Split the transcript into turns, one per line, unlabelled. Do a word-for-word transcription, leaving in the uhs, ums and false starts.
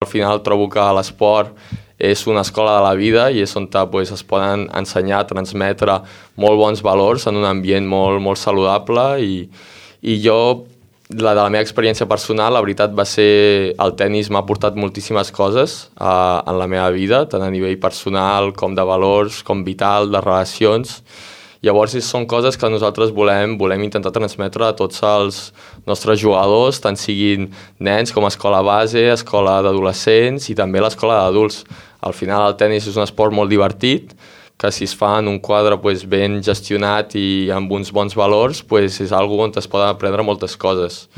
Al final trobo que l'esport és una escola de la vida i és on pues, es poden ensenyar, transmetre molt bons valors en un ambient molt, molt saludable i, i jo, la de la meva experiència personal, la veritat va ser el tennis m'ha portat moltíssimes coses uh, en la meva vida, tant a nivell personal com de valors, com vital, de relacions. Llavors són coses que nosaltres volem, volem intentar transmetre a tots els nostres jugadors, tant siguin nens com a escola base, escola d'adolescents i també l'escola d'adults. Al final el tennis és un esport molt divertit, que si es fa en un quadre pues, ben gestionat i amb uns bons valors, pues, és algo on es poden aprendre moltes coses.